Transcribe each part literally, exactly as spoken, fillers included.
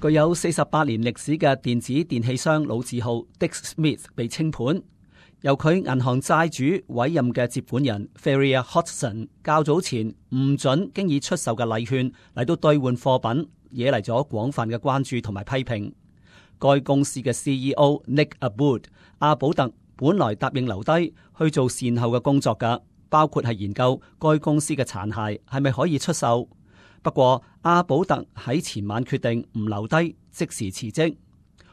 具有四十八年歷史嘅電子電器商老字號 Dick Smith 被清盤，由佢銀行債主委任嘅接盤人 Ferrier Hodgson 較早前唔准經已出售嘅禮券嚟到兌換貨品，惹嚟咗廣泛嘅關注同埋批評。該公司嘅 C E O Nick Aboud 阿保特本來答應留低去做善後嘅工作㗎，包括係研究該公司嘅殘骸係咪可以出售。不過阿保特喺前晚決定唔留低，即時辭職。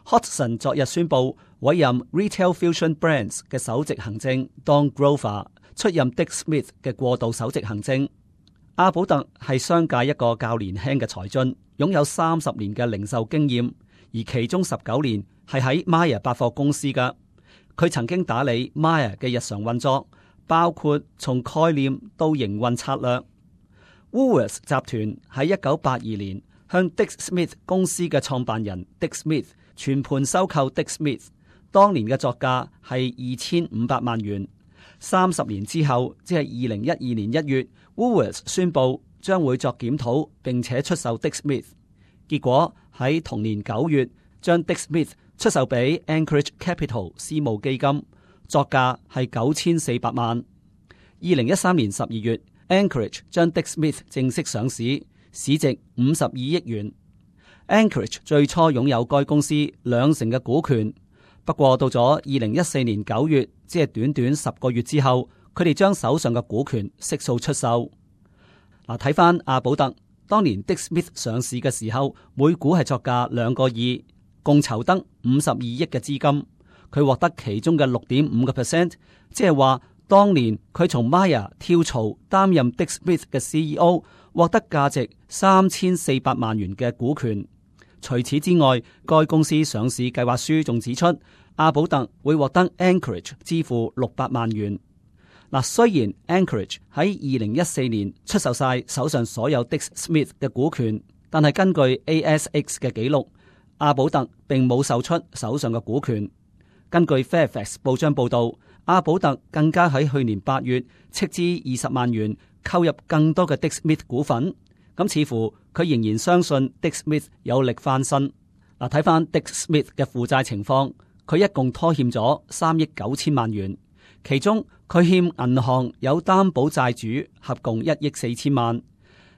Hodgson 昨日宣布委任 Retail Fusion Brands 嘅首席行政 Don Grover 出任 Dick Smith 嘅過渡首席行政。阿保特係商界一個較年輕嘅才俊，擁有三十年嘅零售經驗，而其中十九年係喺 Myer 百貨公司㗎。佢曾經打理 Myer 嘅日常運作，包括從概念到營運策略。Woolworths 集團喺一九八二年向 Dick Smith 公司嘅創辦人 Dick Smith 全盤收購 Dick Smith， 當年嘅作價係二千五百萬元。三十年之後，即係二零一二年一月 ，Woolworths 宣布將會作檢討，並且出售 Dick Smith。結果喺同年九月，將 Dick Smith 出售俾 Anchorage Capital 私募基金，作價係九千四百萬。二零一三年十二月，Anchorage 將 Dick Smith 正式上市，市值五十二億元。Anchorage 最初擁有該公司兩成嘅股權，不過到咗二零一四年九月，即係短短十個月之後，佢哋將手上嘅股權悉數出售。嗱，睇翻阿保特，當年 Dick Smith 上市嘅時候，每股係作價兩個二，共籌得五十二億嘅資金，佢獲得其中嘅六點五個 percent， 即係話當年佢從 Myer 跳槽擔任 Dick Smith 嘅 C E O， 獲得價值三千四百萬元嘅股權。除此之外，該公司上市計劃書仲指出，阿保特會獲得 Anchorage 支付六百萬元。嗱，雖然 Anchorage 喺二零一四年出售晒手上所有 Dick Smith 嘅股權，但係根據 A S X 嘅記錄，阿保特並冇售出手上嘅股權。根據 Fairfax 報章報道，阿保特更加喺去年八月斥資二十萬元購入更多嘅 Dick Smith 股份。咁似乎佢仍然相信 Dick Smith 有力翻身。嗱，睇翻 Dick Smith 嘅負債情況，佢一共拖欠咗三億九千萬元，其中佢欠銀行有擔保債主合共一億四千萬。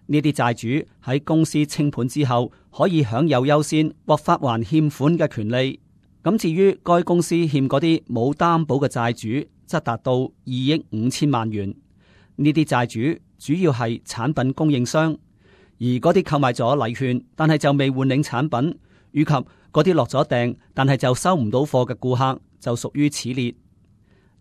呢啲債主喺公司清盤之後，可以享有優先或發還欠款嘅權利。咁至於該公司欠嗰啲冇擔保嘅債主，則達到二億五千萬元。呢啲債主主要係產品供應商。而嗰啲購買咗禮券，但係就未換領產品，以及嗰啲落咗訂，但係就收唔到貨嘅顧客，就屬於此列。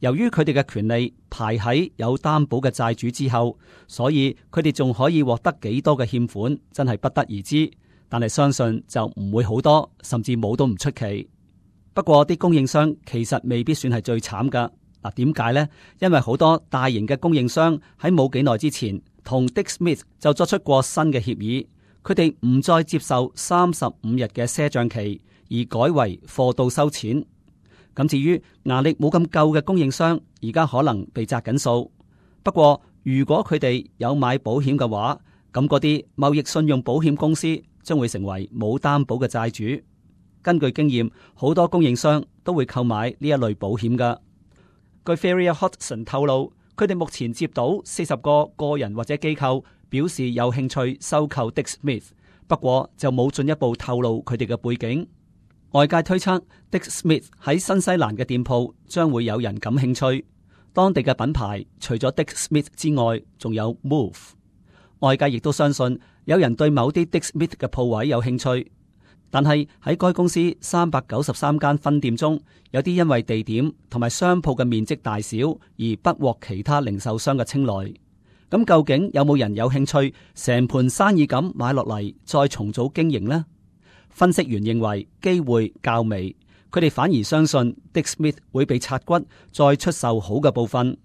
由於佢哋嘅權利排喺有擔保嘅債主之後，所以佢哋仲可以獲得幾多嘅欠款，真係不得而知。但係相信就唔會好多，甚至冇都唔出奇。不過啲供應商其實未必算係最慘噶。嗱，點解呢？因為好多大型嘅供應商喺冇幾耐之前，同 Dick Smith 就作出過新嘅協議，佢哋唔再接受三十五日嘅賒賬期，而改為貨到收錢。咁至於牙力冇咁夠嘅供應商，而家可能被責緊數。不過如果佢哋有買保險嘅話，咁嗰啲貿易信用保險公司將會成為冇擔保嘅債主。根據經驗，好多供應商都會購買呢一類保險噶。據 Ferrier Hodgson 透露，佢哋目前接到四十個個人或者機構表示有興趣收購 Dick Smith， 不過就冇進一步透露佢哋嘅背景。外界推測 Dick Smith 喺新西蘭嘅店鋪將會有人感興趣。當地嘅品牌除咗 Dick Smith 之外，仲有 Move。外界亦都相信有人對某啲 Dick Smith 嘅鋪位有興趣。但係喺該公司三百九十三間分店中，有啲因為地點同埋商鋪嘅面積大小而不獲其他零售商嘅青睞。咁究竟有冇人有興趣成盤生意咁買落嚟再重組經營呢？分析員認為機會較微，佢哋反而相信 Dick Smith 會被拆骨再出售好嘅部分。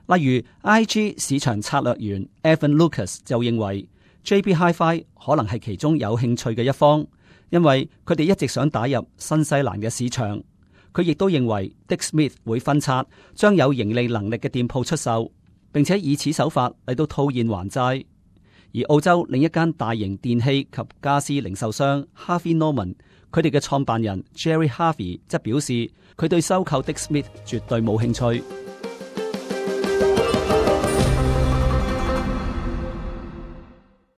例如 I G 市場策略員 Evan Lucas 就認為 J B Hi-Fi 可能係其中有興趣嘅一方。因為佢哋一直想打入新西蘭嘅市場，佢亦都認為 Dick Smith 會分拆，將有盈利能力嘅店鋪出售，並且以此手法嚟到套現還債。而澳洲另一間大型電器及家私零售商 Harvey Norman， 佢哋嘅創辦人 Gerry Harvey 則表示，佢對收購 Dick Smith 絕對冇興趣。